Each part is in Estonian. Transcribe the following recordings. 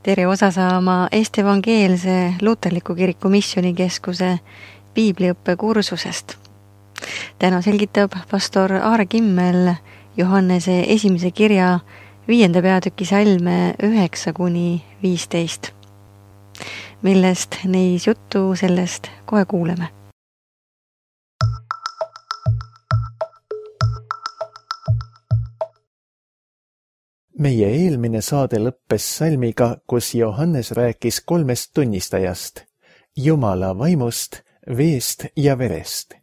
tere osa saama Eesti Evangeelse Luterliku Kiriku Missioonikeskuse piibliõppe kursusest. Täna selgitab pastor Aare Kimmel Johannese esimese kirja 5. peatüki salme 9-15, millest neis juttu sellest kohe kuuleme. Meie eelmine saade lõppes salmiga, kus Johannes rääkis 3 tunnistajast, Jumala vaimust, veest ja verest.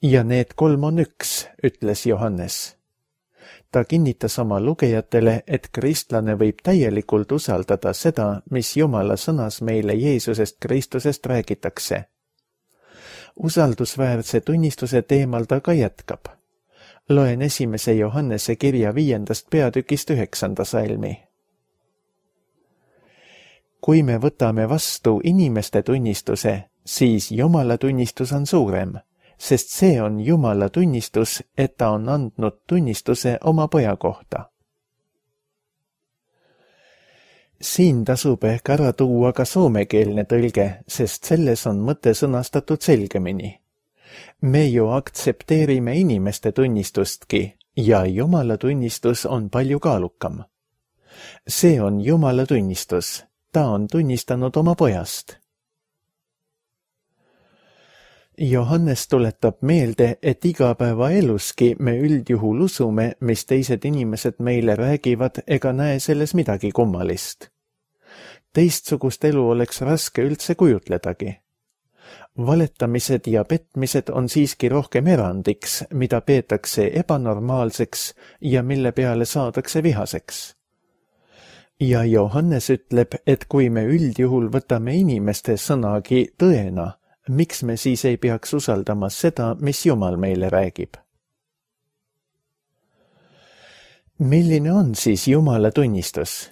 Ja need 3 on üks, ütles Johannes. Ta kinnitas oma lugejatele, et kristlane võib täielikult usaldada seda, mis Jumala sõnas meile Jeesusest Kristusest räägitakse. Usaldusväärse tunnistuse teemal ta ka jätkab. Loen 1. Johannese kirja 5. peatükist 9. salmi. Kui me võtame vastu inimeste tunnistuse, siis Jumala tunnistus on suurem, sest see on Jumala tunnistus, et ta on andnud tunnistuse oma poja kohta. Siin tasub ehk ära tuua ka soomekeelne tõlge, sest selles on mõte sõnastatud selgemini. Me ju aktsepteerime inimeste tunnistustki ja Jumala tunnistus on palju kaalukam. See on Jumala tunnistus, ta on tunnistanud oma pojast. Johannes tuletab meelde, et igapäevaeluski me üldjuhul usume, mis teised inimesed meile räägivad ega näe selles midagi kummalist. Teistsugust elu oleks raske üldse kujutledagi. Valetamised ja petmised on siiski rohkem erandiks, mida peetakse ebanormaalseks ja mille peale saadakse vihaseks. Ja Johannes ütleb, et kui me üldjuhul võtame inimeste sõnagi tõena, miks me siis ei peaks usaldama seda, mis Jumal meile räägib? Milline on siis Jumala tunnistus?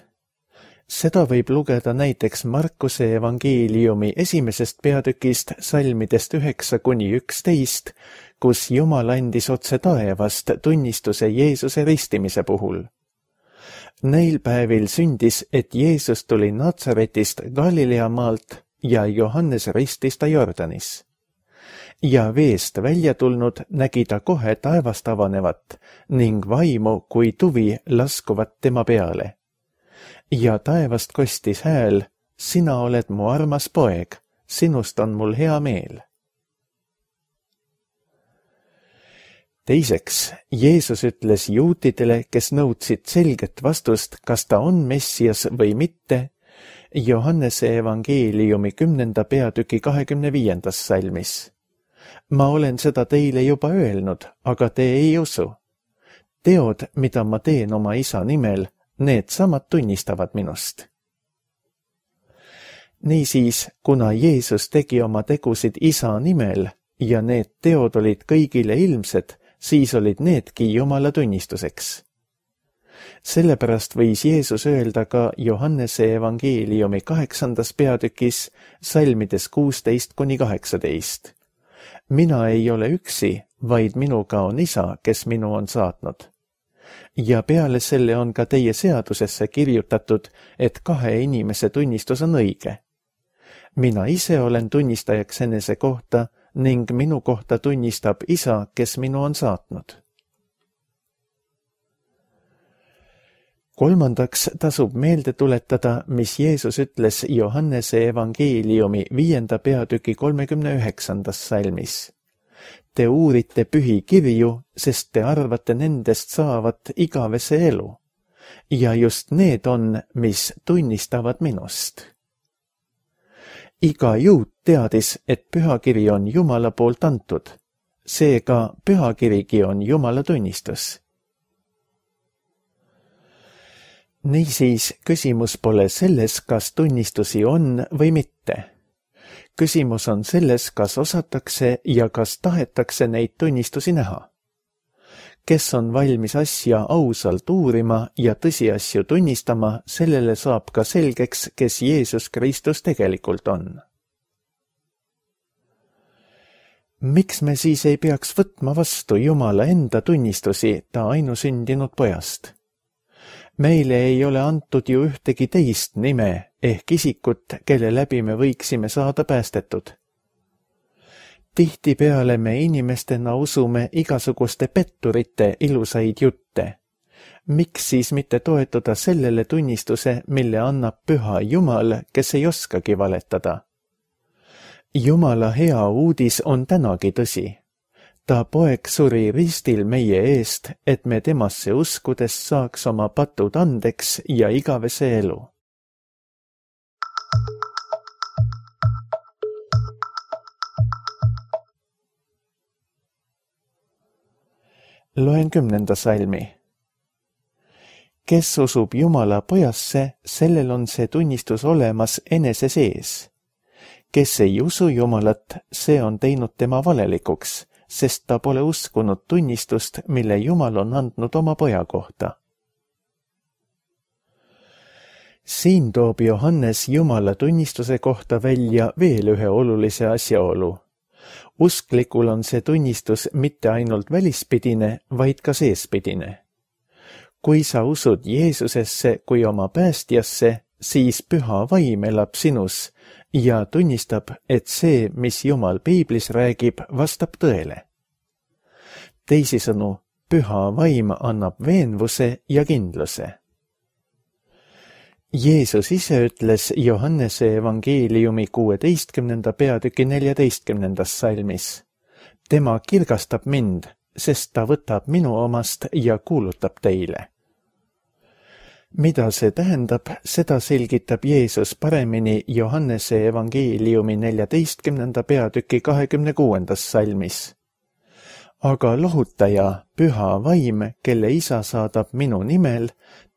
Seda võib lugeda näiteks Markuse evangeeliumi 1. peatükist salmidest 9-11, kus Jumal andis otse taevast tunnistuse Jeesuse ristimise puhul. Neil päevil sündis, et Jeesus tuli Natsaretist Galilea maalt ja Johannes ristis ta Jordanis. Ja veest välja tulnud nägi ta kohe taevast avanevat ning vaimu kui tuvi laskuvat tema peale. Ja taevast kostis hääl, sina oled mu armas poeg, sinust on mul hea meel. Teiseks, Jeesus ütles juutidele, kes nõudsid selget vastust, kas ta on Messias või mitte, Johannese evangeeliumi 10. peatüki 25. salmis. Ma olen seda teile juba öelnud, aga te ei usu. Teod, mida ma teen oma isa nimel, need samad tunnistavad minust. Niisiis, kuna Jeesus tegi oma tegusid isa nimel ja need teod olid kõigile ilmsed, siis olid needki Jumala tunnistuseks. Sellepärast võis Jeesus öelda ka Johannese evangeeliumi 8. peatükis salmides 16-18. Mina ei ole üksi, vaid minuga on isa, kes minu on saatnud. Ja peale selle on ka teie seadusesse kirjutatud, et 2 inimese tunnistus on õige. Mina ise olen tunnistajaks enese kohta ning minu kohta tunnistab isa, kes minu on saatnud. Kolmandaks tasub meelde tuletada, mis Jeesus ütles Johannese evangeeliumi 5. peatüki 39. salmis. Te uurite pühi kirju, sest te arvate nendest saavat igavese elu. Ja just need on, mis tunnistavad minust. Iga juut teadis, et pühakiri on Jumala poolt antud. Seega pühakirigi on Jumala tunnistus. Niisiis, küsimus pole selles, kas tunnistusi on või mitte. Küsimus on selles, kas osatakse ja kas tahetakse neid tunnistusi näha. Kes on valmis asja ausalt uurima ja tõsiasju tunnistama, sellele saab ka selgeks, kes Jeesus Kristus tegelikult on. Miks me siis ei peaks võtma vastu Jumala enda tunnistusi ta ainusündinud pojast? Meile ei ole antud ju ühtegi teist nime ehk isikut, kelle läbi me võiksime saada päästetud. Tihtipeale me inimestena usume igasuguste petturite ilusaid jutte. Miks siis mitte toetuda sellele tunnistuse, mille annab püha Jumal, kes ei oskagi valetada? Jumala hea uudis on tänagi tõsi. Ta poeg suri ristil meie eest, et me temasse uskudes saaks oma patud andeks ja igavese elu. Loen 10. salmi. Kes usub Jumala pojasse, sellel on see tunnistus olemas enese sees. Kes ei usu Jumalat, see on teinud tema valelikuks, sest ta pole uskunud tunnistust, mille Jumal on andnud oma poja kohta. Siin toob Johannes Jumala tunnistuse kohta välja veel ühe olulise asjaolu. Usklikul on see tunnistus mitte ainult välispidine, vaid ka seespidine. Kui sa usud Jeesusesse kui oma päästjasse, siis püha vaim elab sinus ja tunnistab, et see, mis Jumal piiblis räägib, vastab tõele. Teisisõnu, püha vaim annab veenvuse ja kindluse. Jeesus ise ütles Johannese evangeeliumi 16. peatüki 14. salmis. Tema kirgastab mind, sest ta võtab minu omast ja kuulutab teile. Mida see tähendab, seda selgitab Jeesus paremini Johannese evangeeliumi 14. peatüki 26. salmis. Aga lohutaja, püha vaim, kelle isa saadab minu nimel,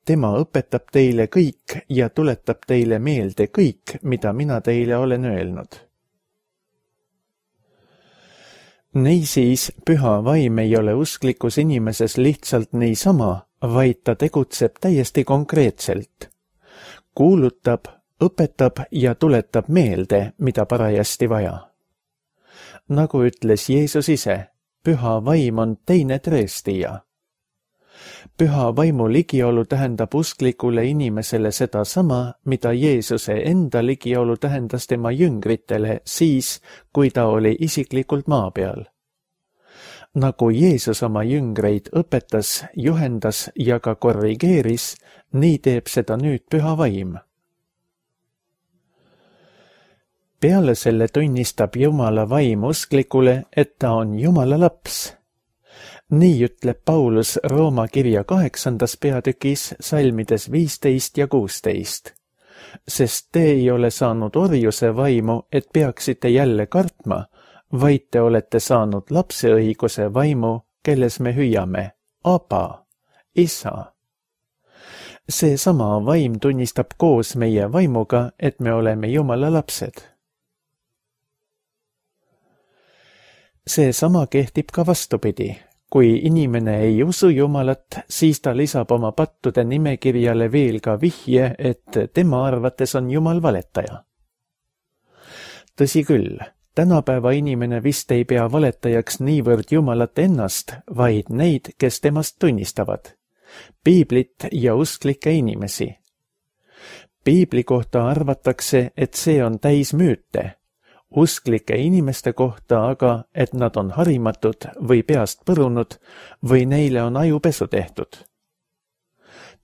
tema õpetab teile kõik ja tuletab teile meelde kõik, mida mina teile olen öelnud. Niisiis, püha vaim ei ole usklikus inimeses lihtsalt niisama, vaid ta tegutseb täiesti konkreetselt. Kuulutab, õpetab ja tuletab meelde, mida parajasti vaja. Nagu ütles Jeesus ise, püha vaim on teine tõestija. Püha vaimu ligiolu tähendab usklikule inimesele sedasama, mida Jeesuse enda ligiolu tähendas tema jüngritele siis, kui ta oli isiklikult maa peal. Nagu Jeesus oma jüngreid õpetas, juhendas ja ka korrigeeris, nii teeb seda nüüd püha vaim. Peale selle tunnistab Jumala vaim usklikule, et ta on Jumala laps. Nii ütleb Paulus Rooma kirja 8. peatükis salmides 15 ja 16. Sest te ei ole saanud orjuse vaimu, et peaksite jälle kartma, vaid te olete saanud lapseõiguse vaimu, kelles me hüüame, Aba, isa. Seesama vaim tunnistab koos meie vaimuga, et me oleme Jumala lapsed. Seesama kehtib ka vastupidi. Kui inimene ei usu Jumalat, siis ta lisab oma pattude nimekirjale veel ka vihje, et tema arvates on Jumal valetaja. Tõsi küll, tänapäeva inimene vist ei pea valetajaks niivõrd Jumalat ennast, vaid neid, kes temast tunnistavad. Piiblit ja usklikke inimesi. Piibli kohta arvatakse, et see on täis müüte. Usklike inimeste kohta aga, et nad on harimatud või peast põrunud või neile on ajupesu tehtud.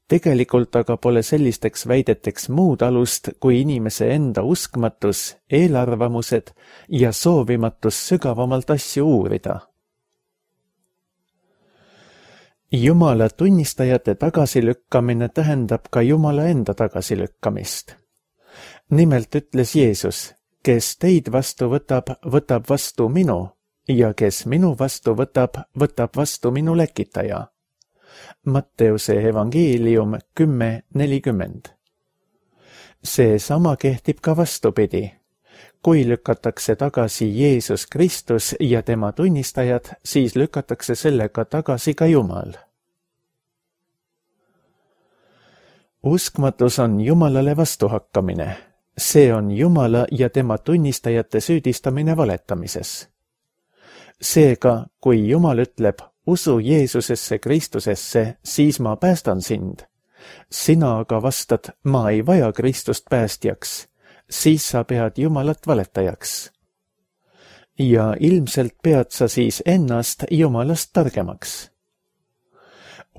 Tegelikult aga pole sellisteks väideteks muud alust kui inimese enda uskmatus, eelarvamused ja soovimatus sügavamalt asju uurida. Jumala tunnistajate tagasilükkamine tähendab ka Jumala enda tagasilükkamist. Nimelt ütles Jeesus, kes teid vastu võtab, võtab vastu minu, ja kes minu vastu võtab, võtab vastu minu lekitaja. Matteuse evangeelium 10:40. Seesama kehtib ka vastupidi. Kui lükatakse tagasi Jeesus Kristus ja tema tunnistajad, siis lükatakse sellega tagasi ka Jumal. Uskmatus on Jumalale vastuhakkamine. See on Jumala ja tema tunnistajate süüdistamine valetamises. Seega, kui Jumal ütleb, usu Jeesusesse Kristusesse, siis ma päästan sind, Sina aga vastad, ma ei vaja Kristust päästjaks, siis sa pead Jumalat valetajaks. Ja ilmselt pead sa siis ennast Jumalast targemaks.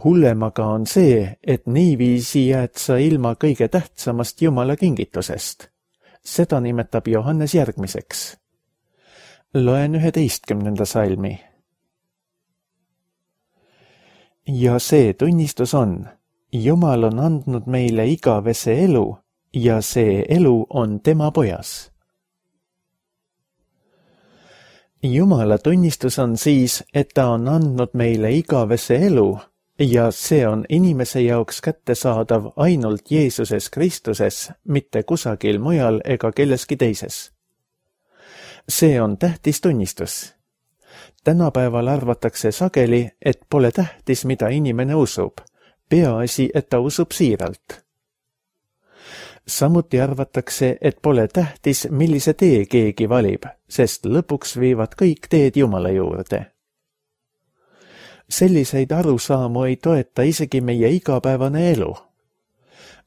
Hullem aga on see, et niiviisi jääd sa ilma kõige tähtsamast Jumala kingitusest. Seda nimetab Johannes järgmiseks. Loen 11. salmi. Ja see tunnistus on, Jumal on andnud meile igavese elu ja see elu on tema pojas. Jumala tunnistus on siis, et ta on andnud meile igavese elu ja see on inimese jaoks kättesaadav ainult Jeesuses Kristuses, mitte kusagil mujal ega kelleski teises. See on tähtis tunnistus. Tänapäeval arvatakse sageli, et pole tähtis, mida inimene usub, peaasi, et ta usub siiralt. Samuti arvatakse, et pole tähtis, millise tee keegi valib, sest lõpuks viivad kõik teed Jumala juurde. Selliseid arusaamu ei toeta isegi meie igapäevane elu.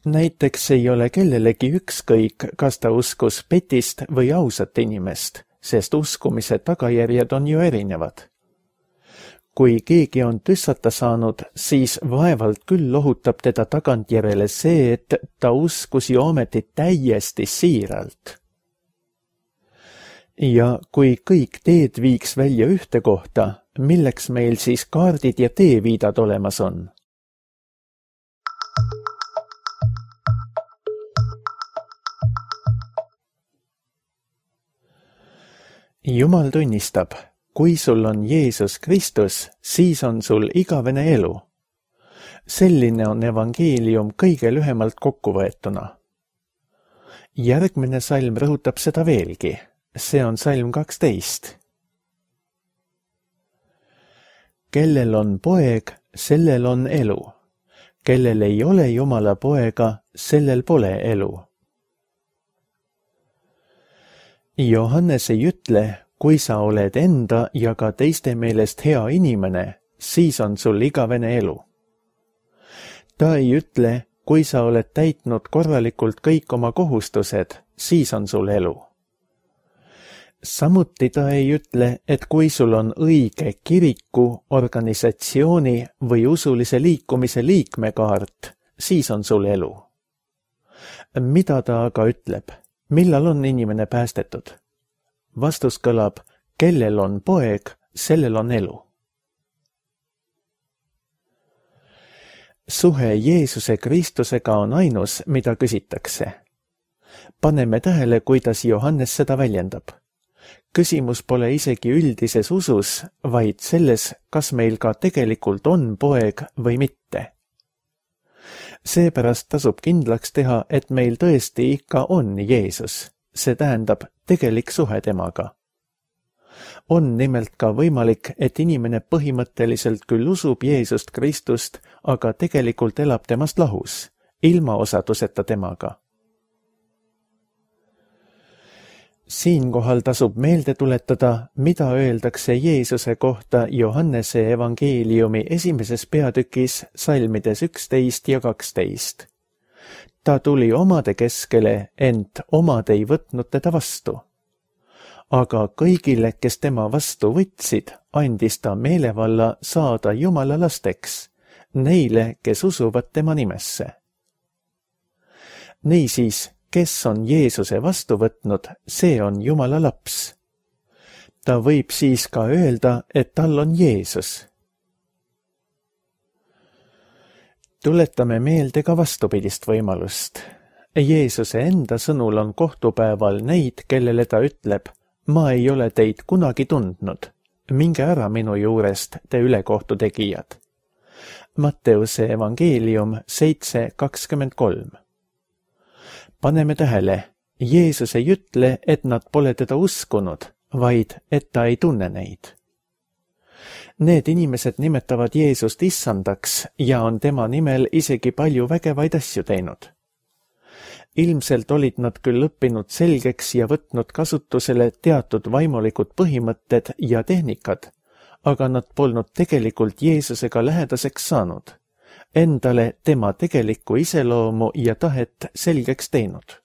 Näiteks ei ole kellelegi ükskõik, kas ta uskus petist või ausat inimest, sest uskumise tagajärjed on ju erinevad. Kui keegi on tüssata saanud, siis vaevalt küll lohutab teda tagantjärele see, et ta uskus ju ometi täiesti siiralt. Ja kui kõik teed viiks välja ühte kohta, milleks meil siis kaardid ja teeviidad olemas on? Jumal tunnistab, kui sul on Jeesus Kristus, siis on sul igavene elu. Selline on evangeelium kõige lühemalt kokkuvõetuna. Järgmine salm rõhutab seda veelgi. See on salm 12. Kellel on poeg, sellel on elu. Kellel ei ole Jumala poega, sellel pole elu. Johannes ei ütle, kui sa oled enda ja ka teiste meelest hea inimene, siis on sul igavene elu. Ta ei ütle, kui sa oled täitnud korralikult kõik oma kohustused, siis on sul elu. Samuti ta ei ütle, et kui sul on õige kiriku, organisatsiooni või usulise liikumise liikmekaart, siis on sul elu. Mida ta aga ütleb? Millal on inimene päästetud? Vastus kõlab, kellel on poeg, sellel on elu. Suhe Jeesuse Kristusega on ainus, mida küsitakse. Paneme tähele, kuidas Johannes seda väljendab. Küsimus pole isegi üldises usus, vaid selles, kas meil ka tegelikult on poeg või mitte. Seepärast tasub kindlaks teha, et meil tõesti ikka on Jeesus, see tähendab tegelik suhe temaga. On nimelt ka võimalik, et inimene põhimõtteliselt küll usub Jeesust Kristust, aga tegelikult elab temast lahus, ilma osaduseta temaga. Siinkohal tasub meelde tuletada, mida öeldakse Jeesuse kohta Johannese evangeeliumi 1. peatükis salmides 11 ja 12. Ta tuli omade keskele, ent omad ei võtnud teda vastu. Aga kõigile, kes tema vastu võtsid, andis ta meelevalla saada Jumala lasteks, neile, kes usuvad tema nimesse. Niisiis, kes on Jeesuse vastu võtnud, see on Jumala laps. Ta võib siis ka öelda, et tal on Jeesus. Tuletame meelde ka vastupidist võimalust. Jeesuse enda sõnul on kohtupäeval neid, kellele ta ütleb, ma ei ole teid kunagi tundnud, minge ära minu juurest, te ülekohtu tegijad. Matteuse evangeelium 7:23. Paneme tähele, Jeesus ei ütle, et nad pole teda uskunud, vaid et ta ei tunne neid. Need inimesed nimetavad Jeesust issandaks ja on tema nimel isegi palju vägevaid asju teinud. Ilmselt olid nad küll õppinud selgeks ja võtnud kasutusele teatud vaimulikud põhimõtted ja tehnikad, aga nad polnud tegelikult Jeesusega lähedaseks saanud. endale tema tegelikku iseloomu ja tahet selgeks teinud.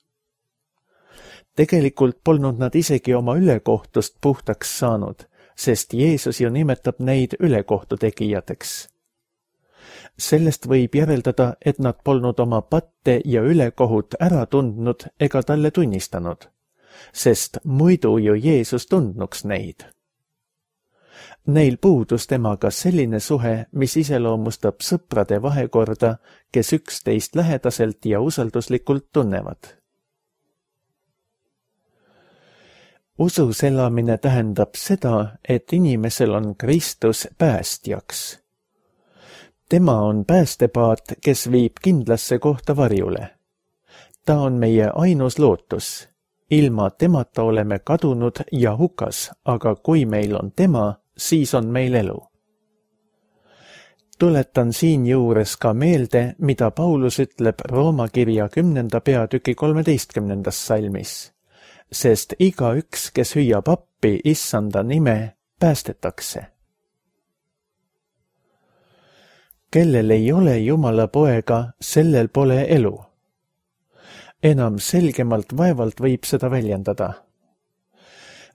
Tegelikult polnud nad isegi oma ülekohtust puhtaks saanud, sest Jeesus ju nimetab neid ülekohtu tegijateks. Sellest võib järeldada, et nad polnud oma patte ja ülekohut ära tundnud ega talle tunnistanud, sest muidu ju Jeesus tundnuks neid. Neil puudus temaga selline suhe, mis iseloomustab sõprade vahekorda, kes üksteist lähedaselt ja usalduslikult tunnevad. Usus elamine tähendab seda, et inimesel on Kristus päästjaks. Tema on päästepaat, kes viib kindlasse kohta varjule. Ta on meie ainus lootus. Ilma temata oleme kadunud ja hukas, aga kui meil on tema, siis on meil elu. Tuletan siinjuures ka meelde, mida Paulus ütleb Rooma kirja 10. peatüki 13. salmis. Sest igaüks, kes hüüab appi Issanda nime, päästetakse. Kellel ei ole Jumala poega, sellel pole elu. Enam selgemalt vaevalt võib seda väljendada.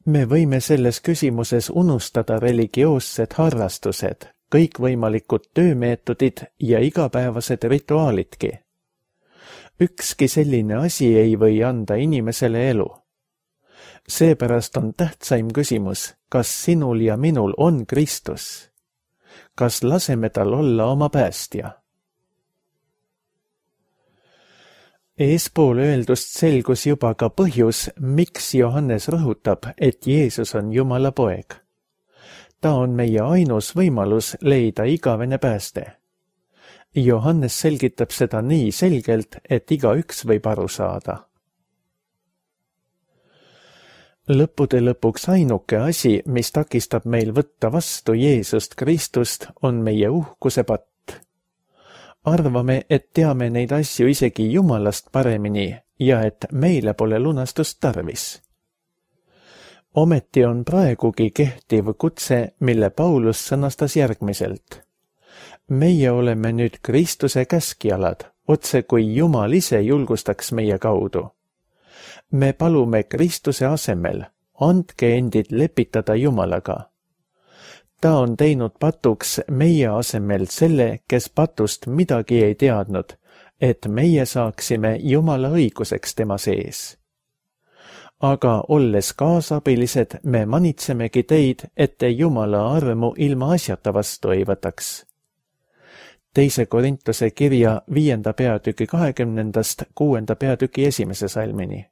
Me võime selles küsimuses unustada religioossed harrastused, kõikvõimalikud töömeetodid ja igapäevased rituaalidki. Ükski selline asi ei või anda inimesele elu. Seepärast on tähtsaim küsimus, kas sinul ja minul on Kristus? Kas laseme tal olla oma päästja? Eespool öeldust selgus juba ka põhjus, miks Johannes rõhutab, et Jeesus on Jumala poeg. Ta on meie ainus võimalus leida igavene pääste. Johannes selgitab seda nii selgelt, et igaüks võib aru saada. Lõppude lõpuks ainuke asi, mis takistab meil võtta vastu Jeesust Kristust, on meie uhkuse patt. Arvame, et teame neid asju isegi Jumalast paremini ja et meile pole lunastust tarvis. Ometi on praegugi kehtiv kutse, mille Paulus sõnastas järgmiselt. Meie oleme nüüd Kristuse käskjalad, otse kui Jumal ise julgustaks meie kaudu. Me palume Kristuse asemel, andke endid lepitada Jumalaga. Ta on teinud patuks meie asemel selle, kes patust midagi ei teadnud, et meie saaksime Jumala õiguseks tema sees. Aga olles kaasabilised, me manitsemegi teid, et te Jumala armu ilma asjata vastu ei võtaks. 2. Korintuse kirja 5. peatüki 20. 6. peatüki 1. salmini.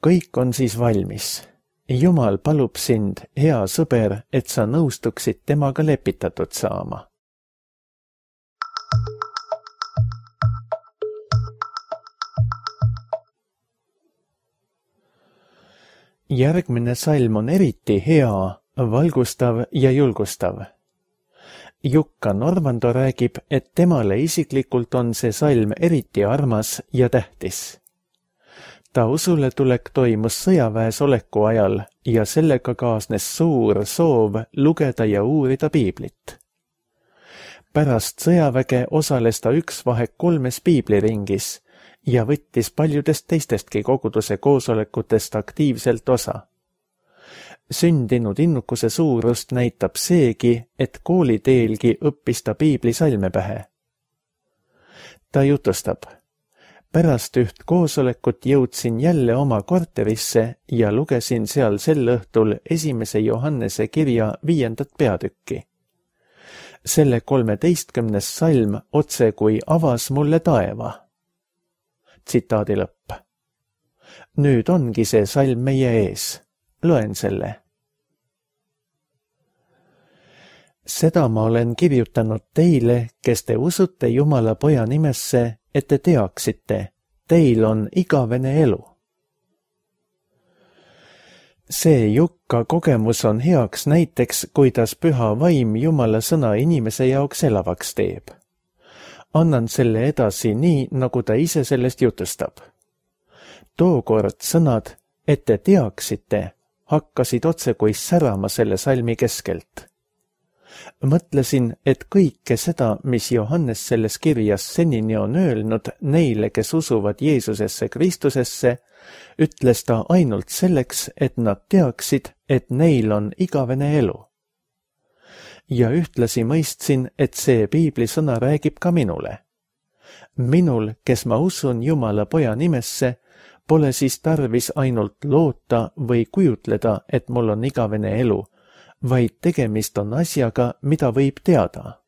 Kõik on siis valmis. Jumal palub sind, hea sõber, et sa nõustuksid temaga lepitatud saama. Järgmine salm on eriti hea, valgustav ja julgustav. Jukka Norvando räägib, et temale isiklikult on see salm eriti armas ja tähtis. Ta usuletulek toimus sõjaväes oleku ajal ja sellega kaasnes suur soov lugeda ja uurida piiblit. Pärast sõjaväge osales ta üksvahek 3 piibliringis ja võttis paljudest teistestki koguduse koosolekutest aktiivselt osa. Sündinud innukuse suurust näitab seegi, et kooliteelgi õppis ta piiblisalme pähe. Ta jutustab. Pärast üht koosolekut jõudsin jälle oma korterisse ja lugesin seal sel õhtul 1. Johannese kirja 5. peatükki. Selle 13. salm otse kui avas mulle taeva. Tsitaadi lõpp. Nüüd ongi see salm meie ees. Loen selle. Seda ma olen kirjutanud teile, kes te usute Jumala poja nimesse, et te teaksite, teil on igavene elu. See Jukka kogemus on heaks näiteks, kuidas püha vaim Jumala sõna inimese jaoks elavaks teeb. Annan selle edasi nii, nagu ta ise sellest jutustab. Tookord sõnad, et te teaksite, hakkasid otse kui särama selle salmi keskelt. Mõtlesin, et kõike seda, mis Johannes selles kirjas senini on öelnud neile, kes usuvad Jeesusesse Kristusesse, ütles ta ainult selleks, et nad teaksid, et neil on igavene elu. Ja ühtlasi mõistsin, et see piiblisõna räägib ka minule. Minul, kes ma usun Jumala poja nimesse, pole siis tarvis ainult loota või kujutleda, et mul on igavene elu, vaid tegemist on asjaga, mida võib teada.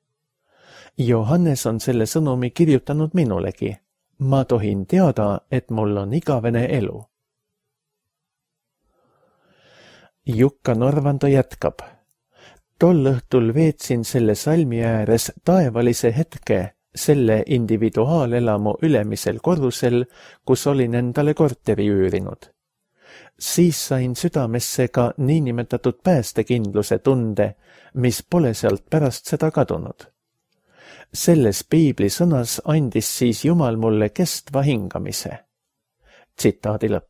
Johannes on selle sõnumi kirjutanud minulegi. Ma tohin teada, et mul on igavene elu. Jukka Norvando jätkab. Tol õhtul veetsin selle salmi ääres taevalise hetke selle individuaalelamu ülemisel korrusel, kus olin endale korteri üürinud. Siis sain südamesse ka niinimetatud päästekindluse tunde, mis pole sealt pärast seda kadunud. Selles piiblisõnas andis siis Jumal mulle kestva hingamise. Tsitaadi lõpp.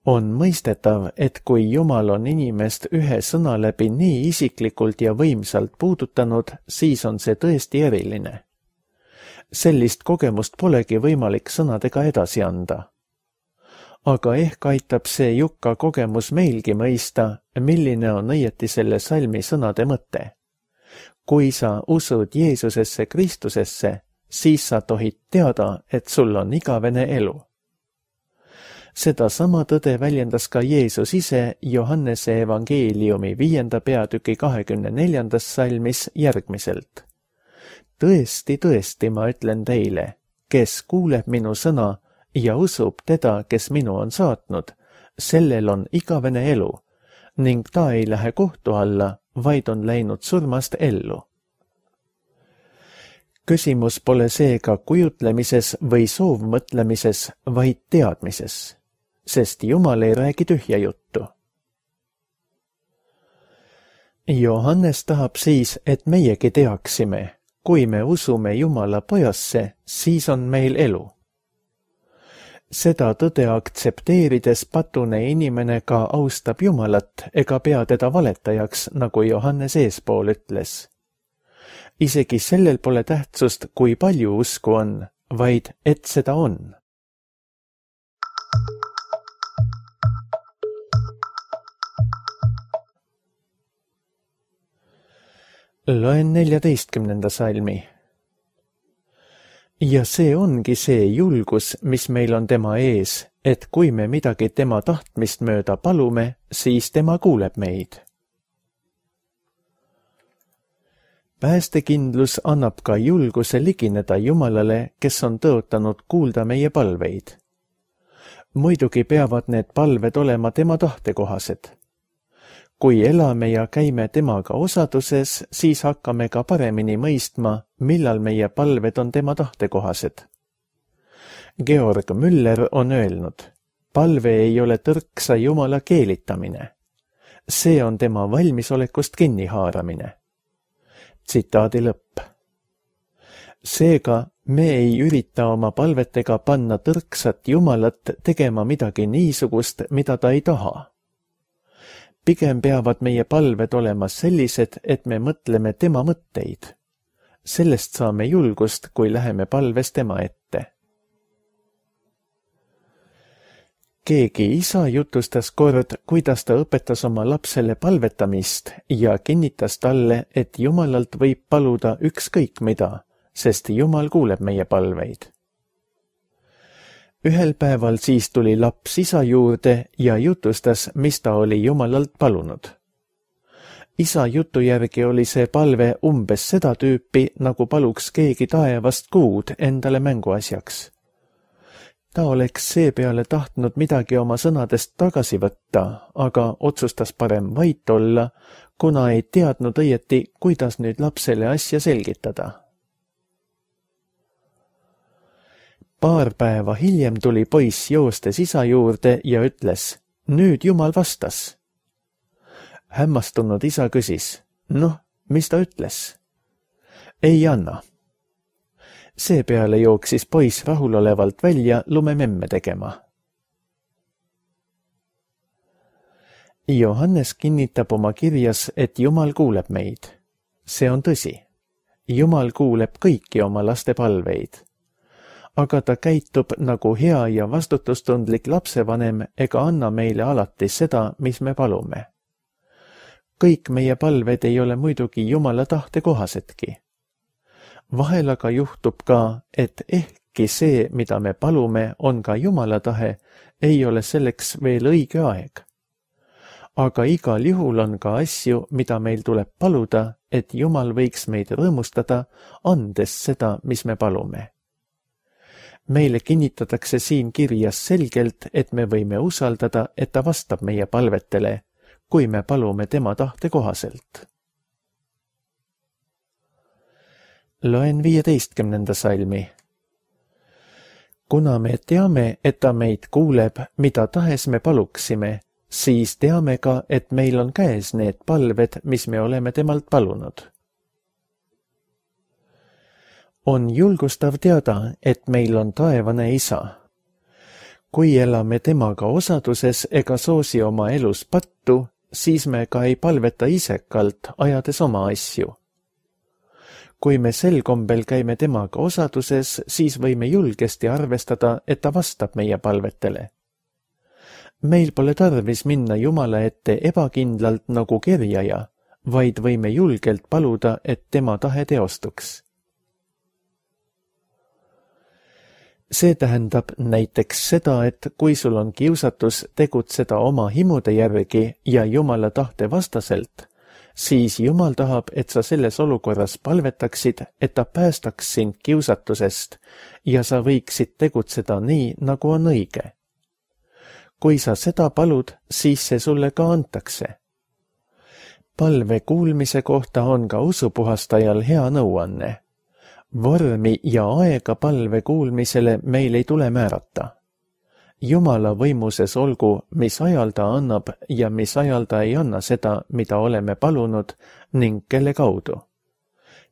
On mõistetav, et kui Jumal on inimest ühe sõna läbi nii isiklikult ja võimsalt puudutanud, siis on see tõesti eriline. Sellist kogemust polegi võimalik sõnadega edasi anda. Aga ehk aitab see Jukka kogemus meilgi mõista, milline on õieti selle salmi sõnade mõte. Kui sa usud Jeesusesse Kristusesse, siis sa tohid teada, et sul on igavene elu. Seda sama tõde väljendas ka Jeesus ise Johannese evangeeliumi 5. peatüki 24. salmis järgmiselt. Tõesti, tõesti, ma ütlen teile, kes kuuleb minu sõna ja usub teda, kes minu on saatnud, sellel on igavene elu ning ta ei lähe kohtu alla, vaid on läinud surmast ellu. Küsimus pole seega kujutlemises või soovmõtlemises, vaid teadmises, sest Jumal ei räägi tühja juttu. Johannes tahab siis, et meiegi teaksime, kui me usume Jumala pojasse, siis on meil elu. Seda tõde aktsepteerides patune inimene ka austab Jumalat ega pea teda valetajaks, nagu Johannes eespool ütles. Isegi sellel pole tähtsust, kui palju usku on, vaid et seda on. Loen 14. salmi. Ja see ongi see julgus, mis meil on tema ees, et kui me midagi tema tahtmist mööda palume, siis tema kuuleb meid. Päästekindlus annab ka julguse ligineda Jumalale, kes on tõotanud kuulda meie palveid. Muidugi peavad need palved olema tema tahtekohased. Kui elame ja käime temaga osaduses, siis hakkame ka paremini mõistma, millal meie palved on tema tahtekohased. Georg Müller on öelnud, palve ei ole tõrksa Jumala keelitamine. See on tema valmisolekust kinnihaaramine. Tsitaadi lõpp. Seega me ei ürita oma palvetega panna tõrksat Jumalat tegema midagi niisugust, mida ta ei taha. Pigem peavad meie palved olema sellised, et me mõtleme tema mõtteid. Sellest saame julgust, kui läheme palves tema ette. Keegi isa jutustas kord, kuidas ta õpetas oma lapsele palvetamist ja kinnitas talle, et Jumalalt võib paluda ükskõik mida, sest Jumal kuuleb meie palveid. Ühel päeval siis tuli laps isa juurde ja jutustas, mis ta oli Jumalalt palunud. Isa jutu järgi oli see palve umbes seda tüüpi, nagu paluks keegi taevast kuud endale mänguasjaks. Ta oleks seepeale tahtnud midagi oma sõnadest tagasi võtta, aga otsustas parem vait olla, kuna ei teadnud õieti, kuidas nüüd lapsele asja selgitada. Paar päeva hiljem tuli poiss joostes isa juurde ja ütles, nüüd Jumal vastas. Hämmastunud isa küsis, noh, mis ta ütles? Ei anna. Seepeale jooksis poiss rahulolevalt välja lumememme tegema. Johannes kinnitab oma kirjas, et Jumal kuuleb meid. See on tõsi. Jumal kuuleb kõiki oma laste palveid. Aga ta käitub nagu hea ja vastutustundlik lapsevanem ega anna meile alati seda, mis me palume. Kõik meie palved ei ole muidugi Jumala tahte kohasedki. Vahel aga juhtub ka, et ehkki see, mida me palume, on ka Jumala tahe, ei ole selleks veel õige aeg. Aga igal juhul on ka asju, mida meil tuleb paluda, et Jumal võiks meid rõõmustada, andes seda, mis me palume. Meile kinnitatakse siin kirjas selgelt, et me võime usaldada, et ta vastab meie palvetele, kui me palume tema tahte kohaselt. Loen 15. salmi. Kuna me teame, et ta meid kuuleb, mida tahes me paluksime, siis teame ka, et meil on käes need palved, mis me oleme temalt palunud. On julgustav teada, et meil on taevane isa. Kui elame temaga osaduses ega soosi oma elus pattu, siis me ka ei palveta isekalt, ajades oma asju. Kui me sel kombel käime temaga osaduses, siis võime julgesti arvestada, et ta vastab meie palvetele. Meil pole tarvis minna Jumala ette ebakindlalt nagu kerjaja, vaid võime julgelt paluda, et tema tahe teostuks. See tähendab näiteks seda, et kui sul on kiusatus tegutseda oma himude järgi ja Jumala tahte vastaselt, siis Jumal tahab, et sa selles olukorras palvetaksid, et ta päästaks sind kiusatusest ja sa võiksid tegutseda nii, nagu on õige. Kui sa seda palud, siis see sulle ka antakse. Palve kuulmise kohta on ka usupuhastajal hea nõuanne. Vormi ja aega palve kuulmisele meil ei tule määrata. Jumala võimuses olgu, mis ajal ta annab ja mis ajal ta ei anna seda, mida oleme palunud ning kelle kaudu.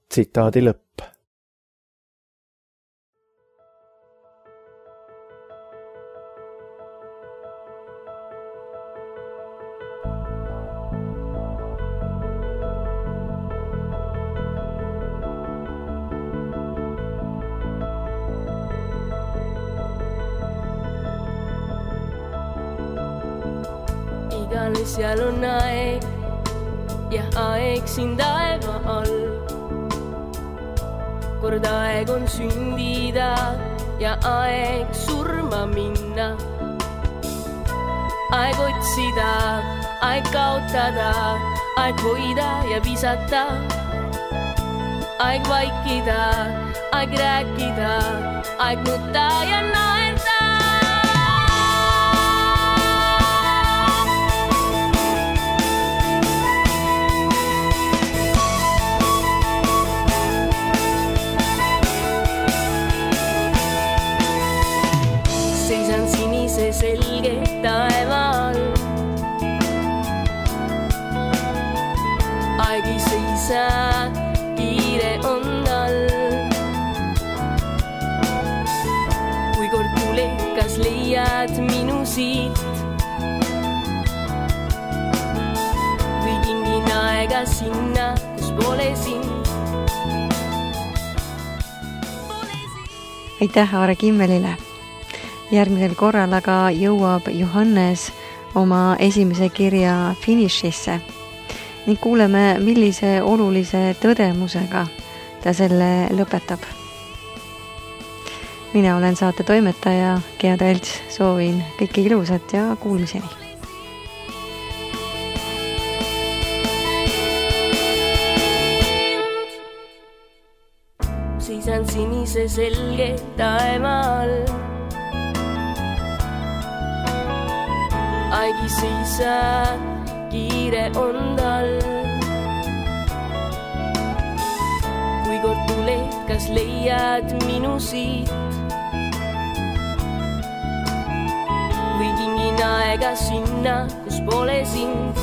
Tsitaadi lõpp. Iganes seal on aeg ja aeg siin taeva all. Kord aeg on sündida ja aeg surma minna. Aeg otsida, aeg kaotada, aeg hoida ja visata. Aeg vaikida, aeg rääkida, aeg nutta ja naerda. Selge taeva all. Aeg ei seisa, kiire on tal. Kui kord tuled, kas leiad minu siit? Või kingin aega sinna, kus pole sind? Aitäh Aare Kimmelile! Järgmisel korral aga jõuab Johannes oma esimese kirja finišisse ning kuuleme, millise olulise tõdemusega ta selle lõpetab. Mina olen saate toimetaja Gea Tälts, soovin kõike ilusat ja kuulmiseni. Seisan sinise selge taeva all. Aeg ei seisa, kiire on tal. Kui kord tuled, kas leiad minu siit? Või kingin aega sinna, kus pole sind?